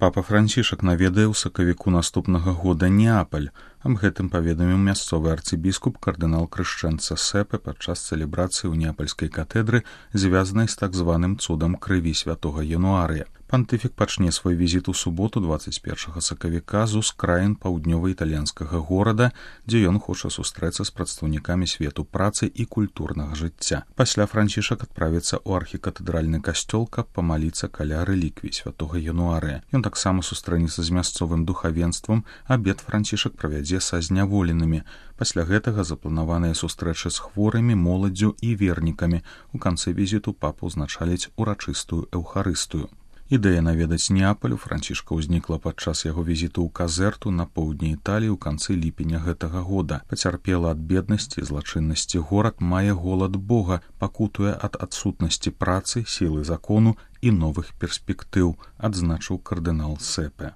Папа Францішак наведае ў сакавіку наступнага года Неапаль. Аб гэтым паведаміў мясцовы арцыбіскуп кардынал Крышчэнца Сепе падчас цэлебрацыі ў Неапальскай катэдры, звязанай з так званым цудам крыві святога Януарыя. Пантыфік пачне свой візіт у суботу 21 сакавіка з ускраін паўднёва-італьянскага горада, дзе ён хоча сустрэцца з прадстаўнікамі свету працы і культурнага жыцця. Пасля Францішак адправіцца ў архікатэдральны касцёл, каб памаліцца каля рэліквій святога Януарыя. Ён таксама сустрэнецца з мясцовым духавенствам, абед Францішак правядзе са зняволенымі. Пасля гэтага запланаваныя сустрэчы з хворымі, моладдзю і вернікамі. У канцы візіту папу ўзначаліць урачыстую эўхарыстыю. Ідэя наведаць Неапаль у Францішка ўзнікла падчас яго візіту ў Казерту на поўдні Італіі ў канцы ліпеня гэтага года. Пацярпела ад беднасці і злачыннасці горад, мае голад Бога, пакутуе ад адсутнасці працы, сілы закону і новых перспектыў, адзначыў кардынал Сепе.